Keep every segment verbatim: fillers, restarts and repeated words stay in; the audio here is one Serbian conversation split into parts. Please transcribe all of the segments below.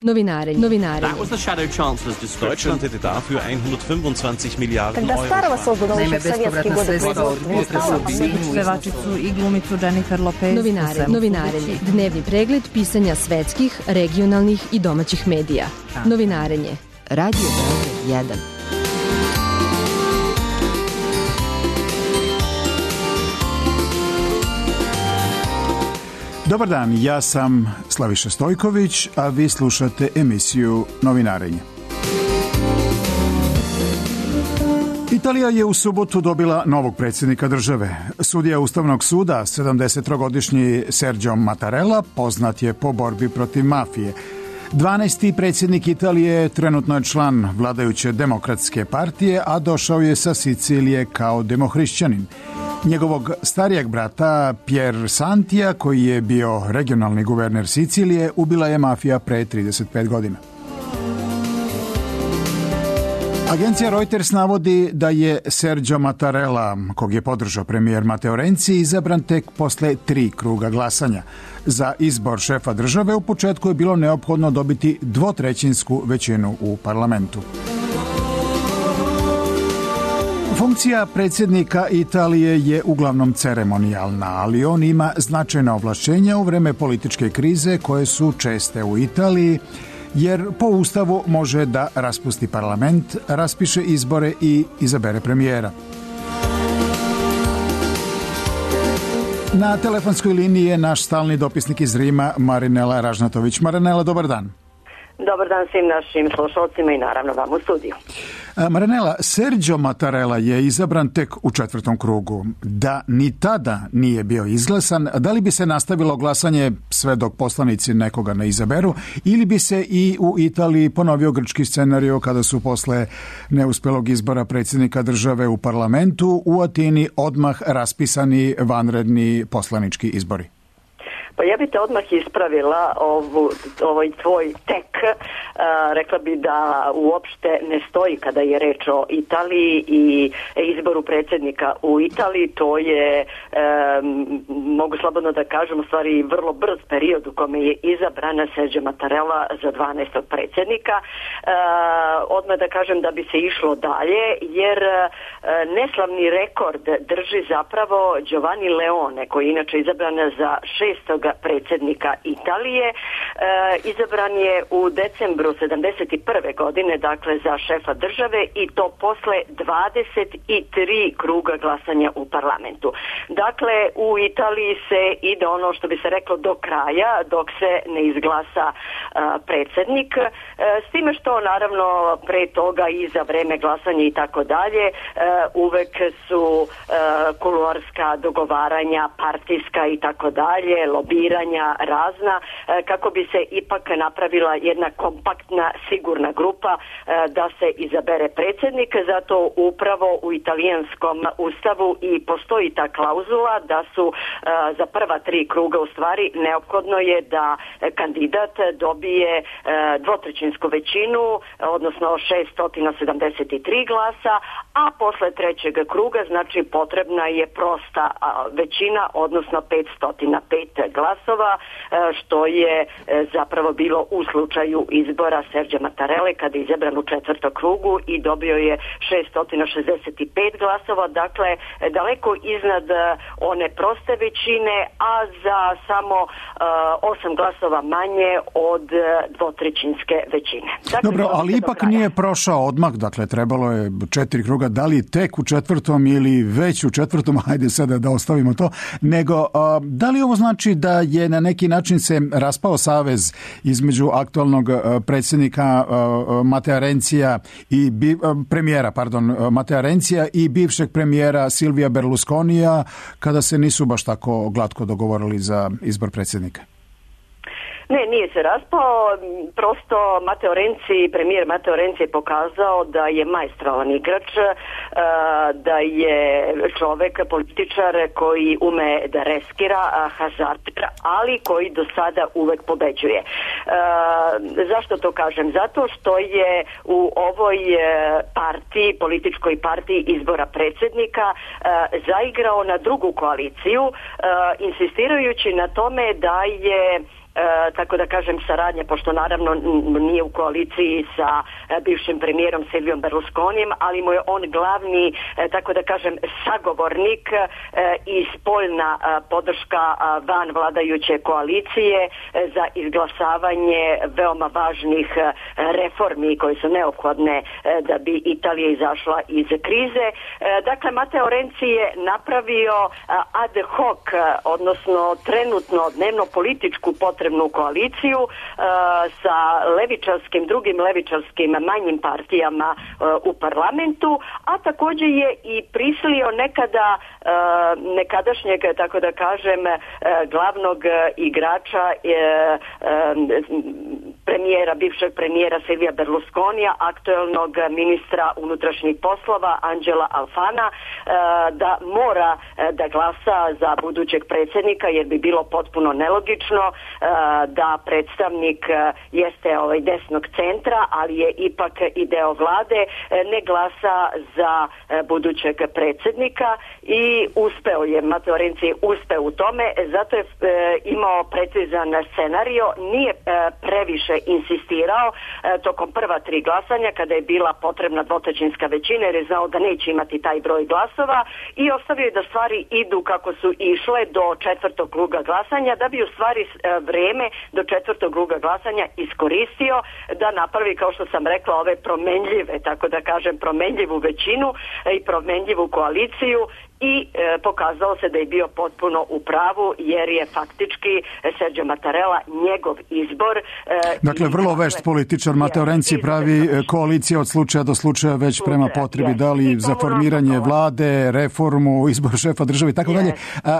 Novinarenje. Novinarenje. That was the shadow chancellor's description. Deutschland hätte dafür hundertfünfundzwanzig Milliarden Euro. Naime, bespovratna sredstva od potresa u pevačicu i glumicu Jennifer Lopez. Novinarenje. Novinarenje. Dnevni pregled pisanja svetskih, regionalnih i domaćih medija. Novinarenje. Radio Beograd jedan. Dobar dan, ja sam Slaviša Stojković, a vi slušate emisiju Novinarenje. Italija je u subotu dobila novog predsjednika države. Sudija Ustavnog suda, sedamdesettrogodišnji Sergio Mattarella, poznat je po borbi protiv mafije. dvanaesti predsjednik Italije trenutno je član vladajuće demokratske partije, a došao je sa Sicilije kao demohrišćanin. Njegovog starijeg brata Pier Santija, koji je bio regionalni guverner Sicilije, ubila je mafija pre trideset pet godina. Agencija Reuters navodi da je Sergio Mattarella, kog je podržao premijer Matteo Renzi, izabran tek posle tri kruga glasanja. Za izbor šefa države u početku je bilo neophodno dobiti dvotrećinsku većinu u parlamentu. Funkcija predsjednika Italije je uglavnom ceremonijalna, ali on ima značajna ovlašćenja u vreme političke krize koje su česte u Italiji, jer po Ustavu može da raspusti parlament, raspiše izbore i izabere premijera. Na telefonskoj liniji je naš stalni dopisnik iz Rima, Marinela Ražnatović. Marinela, dobar dan. Dobar dan svim našim slušalcima i naravno vam u studiju. Marinela, Sergio Mattarella je izabran tek u četvrtom krugu. Da ni tada nije bio izglasan, da li bi se nastavilo glasanje sve dok poslanici nekoga ne izaberu, ili bi se i u Italiji ponovio grčki scenario kada su posle neuspelog izbora predsjednika države u parlamentu u Atini odmah raspisani vanredni poslanički izbori? Pa ja bi te odmah ispravila ovu, ovaj tvoj tek. Uh, rekla bi da uopšte ne stoji kada je reč o Italiji i izboru predsjednika u Italiji. To je, um, mogu slobodno da kažem, u stvari vrlo brz period u kome je izabrana Sergio Mattarella za dvanaestog predsjednika. Uh, odmah da kažem da bi se išlo dalje, jer uh, neslavni rekord drži zapravo Giovanni Leone, koji je inače izabran za šestog predsjednika Italije. E, izabran je u decembru sedamdeset prve godine, dakle za šefa države, i to posle dvadeset tri kruga glasanja u parlamentu. Dakle, u Italiji se ide ono što bi se reklo do kraja, dok se ne izglasa a, predsjednik. E, s time što naravno pre toga i za vreme glasanja i tako dalje uvek su a, kuluarska dogovaranja, partijska i tako dalje, lobiranja razna, kako bi se ipak napravila jedna kompaktna, sigurna grupa da se izabere predsjednik. Zato upravo u italijanskom ustavu i postoji ta klauzula da su za prva tri kruga u stvari neophodno je da kandidat dobije dvotrećinsku većinu, odnosno šesto sedamdeset tri glasa, a posle trećeg kruga znači potrebna je prosta većina, odnosno petsto pet glasova, što je zapravo bilo u slučaju izbora Sergio Mattarelle kada je izabran u četvrtom krugu i dobio je šesto šezdeset pet glasova, dakle daleko iznad one proste većine, a za samo osam glasova manje od dvotrećinske većine. Dakle, dobro, ali ipak nije prošao odmah, dakle trebalo je četiri kruga, da li tek u četvrtom ili već u četvrtom, hajde sada da ostavimo to, nego da li ovo znači da je na neki način se raspao savez između aktualnog predsjednika Mattea Renzija i bi, premijera, pardon, Mattea Renzija i bivšeg premijera Silvija Berlusconija, kada se nisu baš tako glatko dogovorili za izbor predsjednika? Ne, nije se raspao, prosto Matteo Renzi, premijer Matteo Renzi je pokazao da je maestralan igrač, da je čovek, političar koji ume da reskira, hazardira, ali koji do sada uvek pobeđuje. Zašto to kažem? Zato što je u ovoj partiji, političkoj partiji izbora predsjednika zaigrao na drugu koaliciju, insistirajući na tome da je tako da kažem, saradnja, pošto naravno nije u koaliciji sa bivšim premijerom Silvijom Berlusconijem, ali mu je on glavni, tako da kažem, sagovornik i spoljna podrška van vladajuće koalicije za izglasavanje veoma važnih reformi koje su neophodne da bi Italija izašla iz krize. Dakle, Matteo Renzi je napravio ad hoc, odnosno trenutno dnevno političku potrebnu koaliciju sa levičarskim, drugim levičarskim manjim partijama u parlamentu, a također je i prisilio nekada nekadašnjeg, tako da kažem, glavnog igrača premijera, bivšeg premijera Silvija Berlusconija, aktuelnog ministra unutrašnjih poslova Angela Alfana, da mora da glasa za budućeg predsjednika, jer bi bilo potpuno nelogično da predstavnik jeste ovaj desnog centra, ali je ipak i deo vlade, ne glasa za budućeg predsjednika i uspeo je, Matteo Renzi uspeo u tome, zato je imao precizan scenario, nije previše insistirao tokom prva tri glasanja kada je bila potrebna dvotrećinska većina, jer je znao da neće imati taj broj glasova, i ostavio je da stvari idu kako su išle do četvrtog kruga glasanja, da bi u stvari vreme do četvrtog kruga glasanja iskoristio da napravi, kao što sam rekla, ove promenljive, tako da kažem, promenljivu većinu i promenljivu koaliciju, i e, pokazalo se da je bio potpuno u pravu, jer je faktički Sergio Mattarella njegov izbor. E, dakle, vrlo vešt političar Matteo Renzi pravi koalicija od slučaja do slučaja, već prema potrebi, da li za formiranje vlade, reformu, izbor šefa države i tako dalje.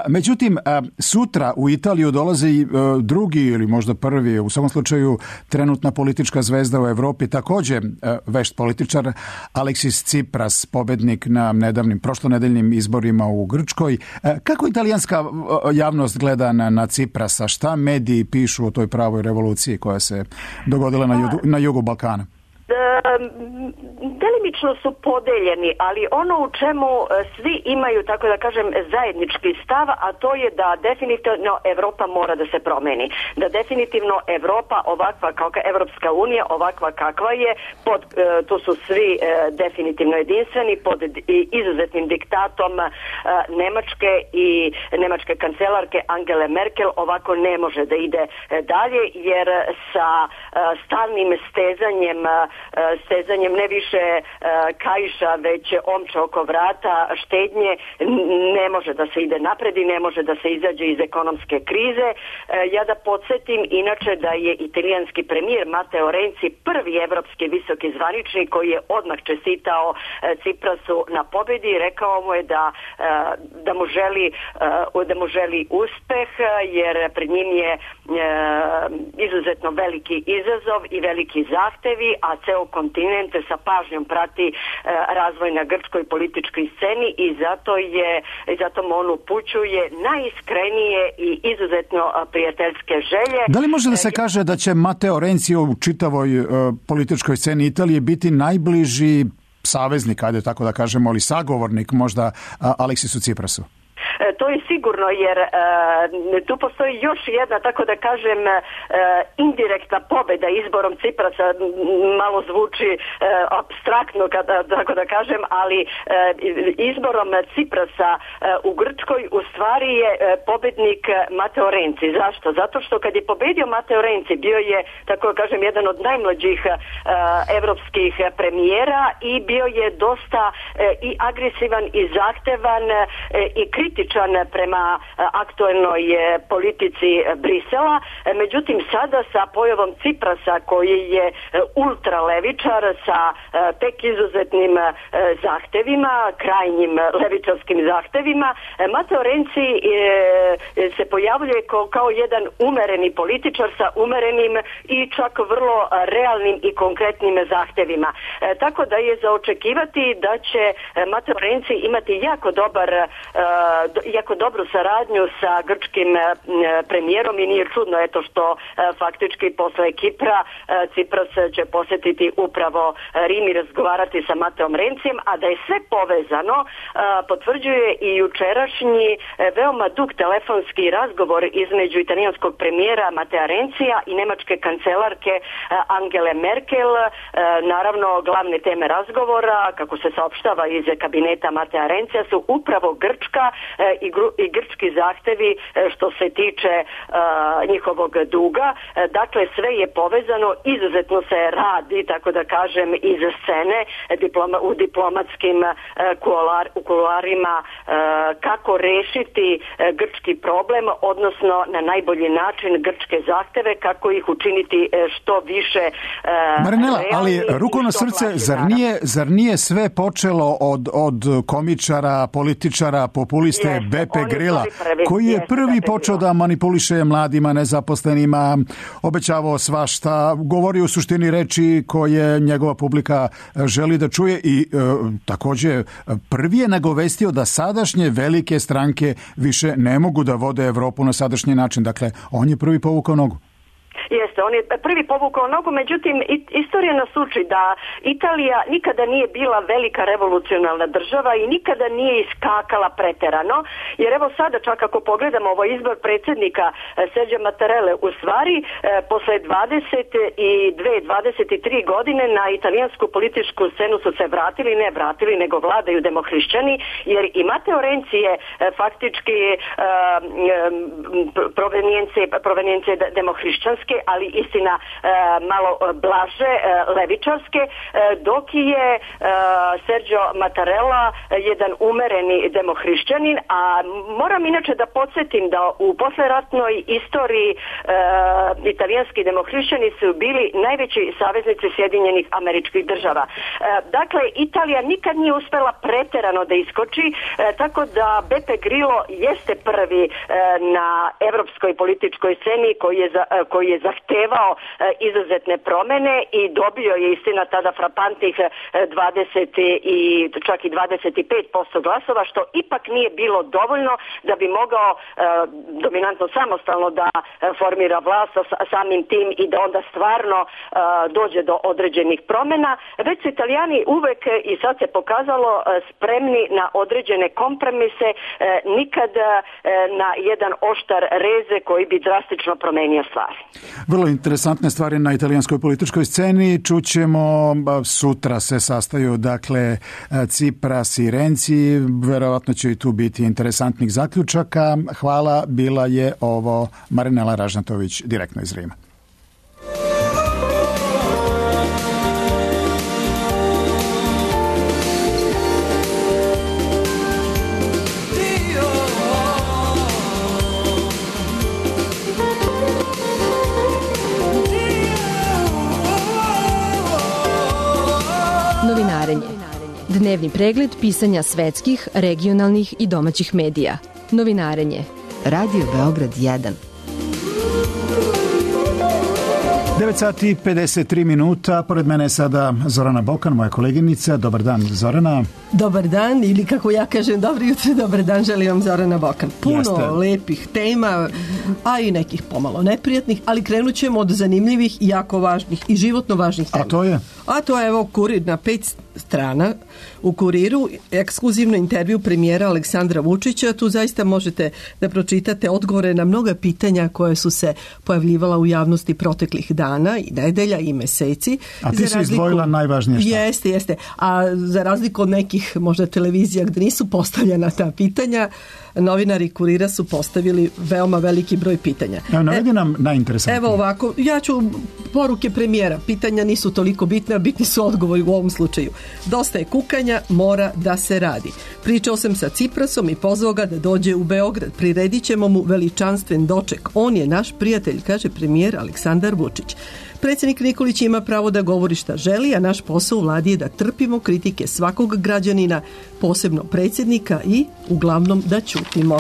Međutim, a, sutra u Italiju dolazi a, drugi ili možda prvi, u svakom slučaju trenutna politička zvezda u Evropi, također a, vešt političar Alexis Tsipras, pobednik na nedavnim prošlonedeljnim izborima u Grčkoj. Kako italijanska javnost gleda na, na Tsiprasa? Šta mediji pišu o toj pravoj revoluciji koja se dogodila na jugu, na jugu Balkana? Delimično su podeljeni, ali ono u čemu svi imaju, tako da kažem, zajednički stav, a to je da definitivno Evropa mora da se promeni. Da definitivno Evropa ovakva kao Evropska unija, ovakva kakva je, pod, tu su svi definitivno jedinstveni, pod izuzetnim diktatom Nemačke i nemačke kancelarke Angele Merkel, ovako ne može da ide dalje, jer sa stalnim stezanjem stezanjem ne više kaiša, već omča oko vrata štednje, ne može da se ide napred i ne može da se izađe iz ekonomske krize. Ja da podsjetim inače da je italijanski premijer Matteo Renzi prvi evropski visoki zvaničnik koji je odmah čestitao Tsiprasu na pobjedi i rekao mu je da, da mu želi da mu želi uspeh, jer pred njim je izuzetno veliki izazov i veliki zahtevi, a ceo kontinent sa pažnjom prati razvoj na grčkoj političkoj sceni i zato je i zato mu on upućuje najiskrenije i izuzetno prijateljske želje. Da li može da se kaže da će Matteo Renzi u čitavoj uh, političkoj sceni Italije biti najbliži saveznik, ajde tako da kažemo, ali sagovornik možda uh, Aleksisu Tsiprasu? To je sigurno, jer e, tu postoji još jedna, tako da kažem, e, indirektna pobjeda izborom Tsiprasa, malo zvuči e, apstraktno, kada, tako da kažem, ali e, izborom Tsiprasa e, u Grčkoj u stvari je e, pobjednik Matteo Renzi. Zašto? Zato što kad je pobjedio Matteo Renzi, bio je, tako da kažem, jedan od najmlađih e, evropskih premijera i bio je dosta e, i agresivan i zahtevan e, i kritičan prema aktualnoj politici Brisela. Međutim, sada sa pojavom Tsiprasa, koji je ultralevičar sa tek izuzetnim zahtevima, krajnjim levičarskim zahtevima, Matteo Renzi se pojavljuje kao jedan umereni političar sa umerenim i čak vrlo realnim i konkretnim zahtevima. Tako da je za očekivati da će Matteo Renzi imati jako dobar jako dobru saradnju sa grčkim premijerom i nije čudno eto što faktički posle Kipra Cipras će posjetiti upravo Rim i razgovarati sa Mateom Rencijem, a da je sve povezano potvrđuje i jučerašnji veoma dug telefonski razgovor između italijanskog premijera Matea Rencija i nemačke kancelarke Angele Merkel. Naravno, glavne teme razgovora, kako se saopštava iz kabineta Matea Rencija, su upravo Grčka i, gru, i grčki zahtevi što se tiče njihovog duga. Dakle, sve je povezano, izuzetno se radi, tako da kažem, iz scene diploma, u diplomatskim kular, u kularima kako rešiti grčki problem, odnosno na najbolji način grčke zahteve, kako ih učiniti što više Marinela, ali ruku na srce, zar nije, zar nije sve počelo od, od komičara, političara, populiste yes, Beppe Grilla, koji je yes, prvi počeo da manipuliše mladima, nezaposlenima, obećavao svašta, govori u suštini reči koje njegova publika želi da čuje i e, također prvi je nagovestio da sadašnje velike stranke više ne mogu da vode Evropu na sadašnji način. Dakle, on je prvi povukao nogu. Jeste, on je prvi povukao nogu, međutim istorija nas uči da Italija nikada nije bila velika revolucionalna država i nikada nije iskakala preterano, jer evo sada čak ako pogledamo ovaj izbor predsjednika Sergio Mattarelle, u stvari posle dvadeset dve dvadeset tri godine na italijansku političku scenu su se vratili, ne vratili, nego vladaju demohrišćani, jer i Matteo Renzi je faktički provenijencije, provenijencije demohrišćanske, ali istina e, malo blaže, e, levičarske, e, dok je e, Sergio Mattarella jedan umereni demohrišćanin, a moram inače da podsjetim da u posleratnoj istoriji e, italijanski demohrišćani su bili najveći saveznici Sjedinjenih Američkih Država. E, dakle, Italija nikad nije uspela preterano da iskoči, e, tako da Beppe Grillo jeste prvi e, na evropskoj političkoj sceni koji je, za, e, koji je zahtevao e, izuzetne promene i dobio je istina tada frapantnih dvadeset i čak i dvadeset pet posto glasova, što ipak nije bilo dovoljno da bi mogao e, dominantno samostalno da e, formira vlast sa, samim tim i da onda stvarno e, dođe do određenih promena. Već su Italijani uvek i sad se pokazalo e, spremni na određene kompromise, e, nikad e, na jedan oštar reze koji bi drastično promenio stvari. Vrlo interesantne stvari na italijanskoj političkoj sceni. Čućemo, sutra se sastaju dakle Cipras i Renzi, verovatno će i tu biti interesantnih zaključaka. Hvala, bila je ovo Marinela Ražnatović direktno iz Rima. Dnevni pregled pisanja svetskih, regionalnih i domaćih medija. Novinarenje. Radio Beograd jedan. devet sati i pedeset tri minuta. Pored mene je sada Zorana Bokan, moja koleginica. Dobar dan, Zorana. Dobar dan, ili kako ja kažem, dobro jutro, dobar dan, želim vam Zorana Bokan. Puno Jeste. lepih tema, a i nekih pomalo neprijatnih, ali krenut ćemo od zanimljivih i jako važnih i životno važnih tema. A to je? A to je, evo, Kurir na pet strana. U Kuriru ekskluzivno intervju premijera Aleksandra Vučića. Tu zaista možete da pročitate odgovore na mnoga pitanja koje su se pojavljivala u javnosti proteklih dana i nedelja i meseci. A ti si izdvojila najvažnije šta? Jeste, jeste. A za razliku od nekih možda televizija gdje nisu postavljena ta pitanja, novinari Kurira su postavili veoma veliki broj pitanja. Evo, navedi nam najinteresantnije. Evo ovako, ja ću poruke premijera. Pitanja nisu toliko bitne, a bitni su odgovori u ovom slučaju. Dosta je kukanja, mora da se radi. Pričao sam sa Ciprasom i pozvao ga da dođe u Beograd. Priredit ćemo mu veličanstven doček. On je naš prijatelj, kaže premijer Aleksandar Vučić. Predsjednik Nikolić ima pravo da govori šta želi, a naš posao u vladi je da trpimo kritike svakog građanina, posebno predsjednika, i uglavnom da ćutimo.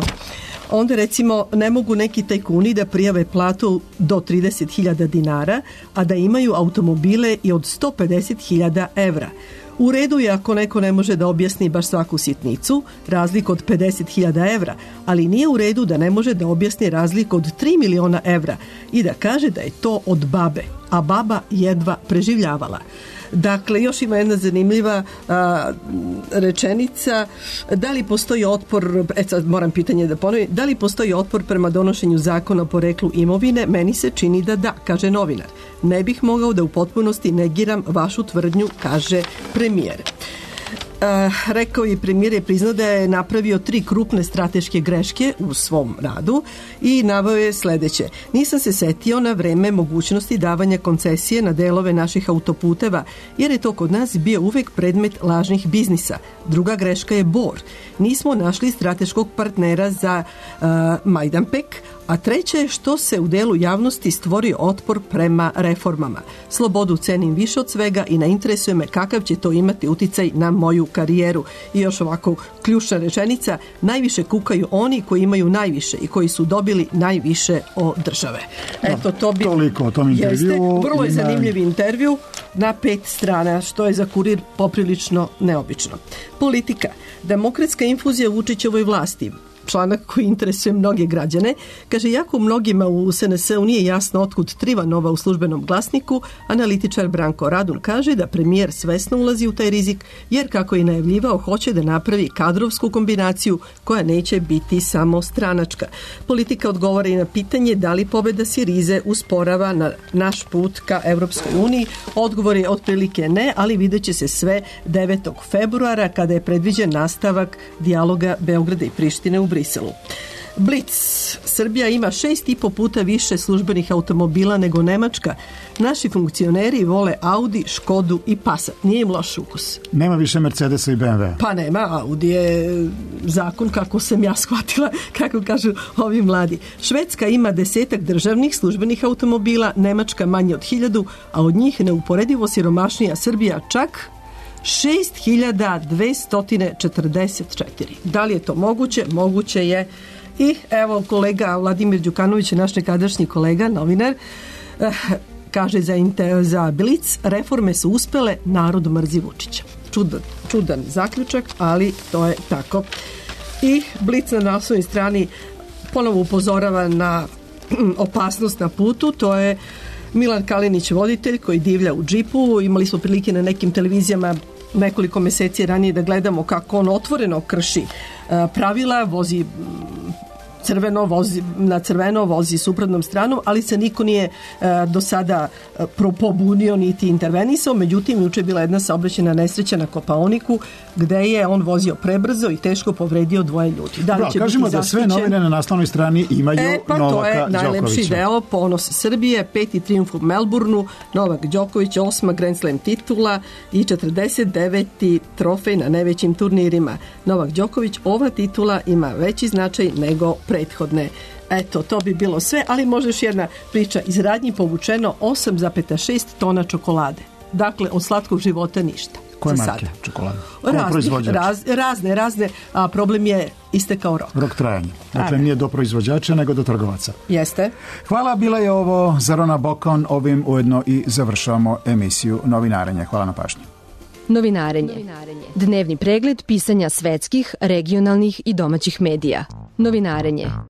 Onda recimo ne mogu neki tajkuni da prijave platu do trideset hiljada dinara, a da imaju automobile i od sto pedeset hiljada evra. U redu je ako neko ne može da objasni baš svaku sitnicu, razliku od pedeset hiljada evra, ali nije u redu da ne može da objasni razliku od tri miliona evra i da kaže da je to od babe, a baba jedva preživljavala. Dakle, još ima jedna zanimljiva a, rečenica. Da li postoji otpor, e sad moram pitanje da ponovim, da li postoji otpor prema donošenju zakona o poreklu imovine? Meni se čini da da, kaže novinar. Ne bih mogao da u potpunosti negiram vašu tvrdnju, kaže premijer. Uh, rekao je premijer je priznao da je napravio tri krupne strateške greške u svom radu i naveo je sledeće. Nisam se setio na vreme mogućnosti davanja koncesije na delove naših autoputeva, jer je to kod nas bio uvek predmet lažnih biznisa. Druga greška je Bor. Nismo našli strateškog partnera za uh, Majdanpek, a treće je što se u delu javnosti stvorio otpor prema reformama. Slobodu cenim više od svega i ne interesuje me kakav će to imati uticaj na moju karijeru. I još ovako ključna rečenica, najviše kukaju oni koji imaju najviše i koji su dobili najviše od države. Eto, to bi... Toliko o tom intervju. Jeste, vrlo je zanimljiv intervju na pet strana, što je za Kurir poprilično neobično. Politika. Demokratska infuzija Vučićevoj vlasti. Članak koji interesuje mnoge građane, kaže, jako mnogima u S N S-u nije jasno otkud Trivanova u Službenom glasniku, analitičar Branko Radun kaže da premijer svesno ulazi u taj rizik, jer kako je najavljivao, hoće da napravi kadrovsku kombinaciju koja neće biti samo stranačka. Politika odgovara i na pitanje da li pobeda Sirize usporava na naš put ka Evropskoj uniji. Odgovor je otprilike ne, ali vidjet će se sve devetog februara kada je predviđen nastavak dijaloga Beograda i Prištine u Briselu. Blic. Srbija ima šest i po puta više službenih automobila nego Nemačka. Naši funkcioneri vole Audi, Škodu i Passat. Nije im loš ukus. Nema više Mercedesa i B M W. Pa nema, Audi je zakon, kako sam ja shvatila, kako kažu ovi mladi. Švedska ima desetak državnih službenih automobila, Nemačka manje od hiljadu, a od njih neuporedivo siromašnija Srbija čak šest hiljada dvesta četrdeset četiri. Da li je to moguće? Moguće je. I evo kolega Vladimir Đukanović, naš nekadašnji kolega, novinar, eh, kaže za, za Blic, reforme su uspele, narod mrzi Vučića. Čudan, čudan zaključak, ali to je tako. I Blic na naslovnoj strani ponovo upozorava na opasnost na putu, to je Milan Kalinić, voditelj koji divlja u džipu. Imali smo prilike na nekim televizijama nekoliko meseci ranije da gledamo kako on otvoreno krši pravila, vozi crveno, vozi, na crveno vozi suprotnom stranom, ali se niko nije e, do sada e, pobunio niti intervenisao. Međutim, juče je bila jedna saobraćajna nesreća na Kopaoniku gde je on vozio prebrzo i teško povredio dvoje ljudi. Da li Bra, će kažemo da sve novine na naslovnoj strani imaju e, pa Novaka to je Đokovića. Najlepši deo, ponos Srbije, peti trijumf u Melbourneu, Novak Đoković, osma Grand Slam titula i četrdeset deveti trofej na najvećim turnirima. Novak Đoković, ova titula ima veći značaj nego prethodne. Eto, to bi bilo sve, ali može još jedna priča. Iz radnji povučeno osam zarez šest tona čokolade. Dakle, od slatkog života ništa. Koje marke čokolade? Razne, raz, razne, razne, a problem je istekao rok. Rok trajanja. Dakle, nije do proizvođača, nego do trgovaca. Jeste. Hvala, bila je ovo Zarona Bokon. Ovim ujedno i završavamo emisiju Novinarenje. Hvala na pažnji. Novinarenje. Dnevni pregled pisanja svetskih, regionalnih i domaćih medija. Novinarenje.